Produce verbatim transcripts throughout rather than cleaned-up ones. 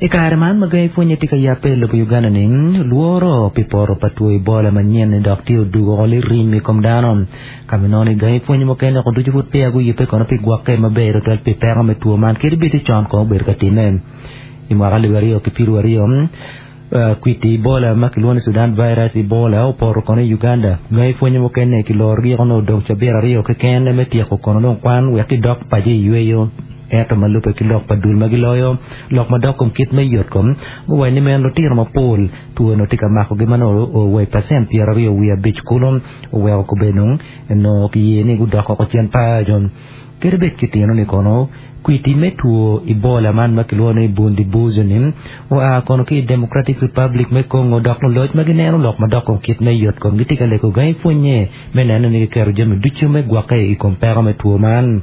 I kare man ma gangi pwonye tye ka yape i lobo Uganda ni lworo pi poto pa two Ebola manyen ni dok tye odugo oko lirim i kom dano. Ka ma inongo ni gangi pwonye mukene oko ducu pud peya guyubbe kono pi gwokke maber tutwal pi peko me two man kadi bed ni con kono obedo ka timme. I mwaka alip aryo ki piero aryo kwiti Ebola ma kilwongo ni Sudan virus Ebola opoto kono i Uganda. Gangi pwonye mukene kilorogi kono odong cabit aryo keken me tyeko kono dong kwan wek gidok paco i yweyo. Ento ma lubbe ki lok pa dul ma giloyo lok madok kom kit me yotkom guwaco ni meno lutino mapol two eno tye ka makogi ma nongo owa i pacent pyeraryo wiye abic kulu oweko kobedo nongo kiye ni gudok oko cen paco. Kadi bed kitino ni kono kwiti me two Ebola man ma kilwongo ni Bundibugyo ni oa kono ki i Democratic Republic me Congo dok luloc ma gineno lok madok kom kit me yotkom gitye ka lego gangi pwonye me neno ni giketo jami ducu me gwokke i kom peko me two man.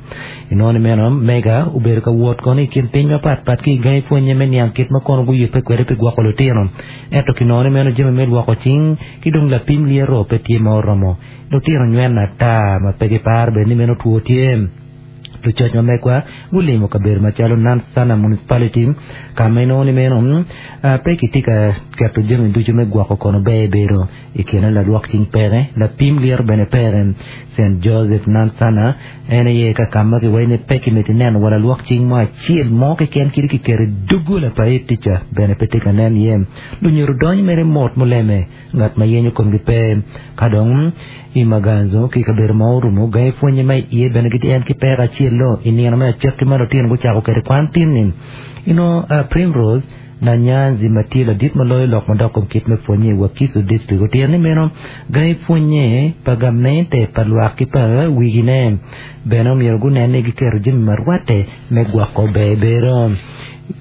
Inongo ni meno mega obedo ka wot kono i kin piny mapatpat ki i gangi pwonye me niang kit ma kono guyubbe kwede pi gwoko lutino. Ento kinongo ni meno jami me lwoko cing ki dong lapim lyeto pe tye ma oromo. Lutino nyweno ata ma pe giparo bene ni meno two tye. Lucoc ma megwa gulimo kabedo macalo Nansana Municipality ka ma inongo ni meno pe kitye ka keto jami ducu me gwoko kono ber bedo i kine lalwok cing peke lapim lyeto bene peke. Saint Joseph Nansana en aye ka ka ma kiwaco ni pe kimito ineno wa lalwok cing mo acel mo keken kadi kiketo i doggola pa head teacher bene pe tye ka nen iye. Lunyodo donyo mere mot muleme ngat ma yenyo komgi pe. Ka dong i Maganzo ki kabedo ma orumo gangi pwonye ma iye bene gitye en ki peko acel lo i nino me acakki ma lutino gucako kwede kwan tin-ni. Ino Primrose Nanyanzi ma tye ladit ma loyo lok madok kom kit me pwonye i Wakiso District otito ni meno gangi pwonye pa gamente pa lwak ki pa wigine bene omyero gunen ni giketo jami ma rwatte me gwoko ber bedo.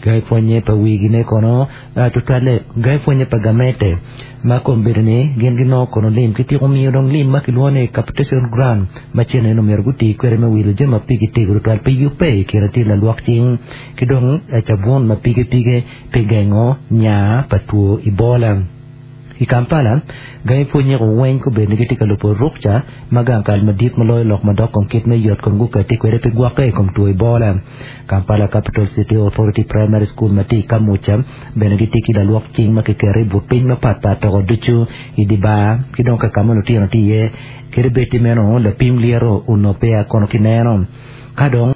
Gangi pwonye pa wigine kono tutwalle gangi pwonye pa gamente ma kombedo ni gin ginongo kono lim kityeko miyo dong lim ma kilwongo ni capitation grant ma cene ni omyero guti kwede me wilo jami ma pigi tego tutwal pi yubbe i kine tye lalwok cing ki dong cabun ma pige pige pi gengo nya pa two Ebola. I Kampala, gangi pwonye ko weng kobedo ni gitye ka lubo rukca ma gang kal madit ma loyo lok madok kom kit me yot kom gukati kwede pi gwokke i kom two Ebola. Kampala Capital City Authority Primary School ma tye i Kamuca bene gitye ki lalwok cing ma kiketo i but piny mapatpat toko ducu i di bar ki dong ka ka ma lutino tye iye kadi bed ti meno lapim lyeto onongo peya kono kineno. Ka dong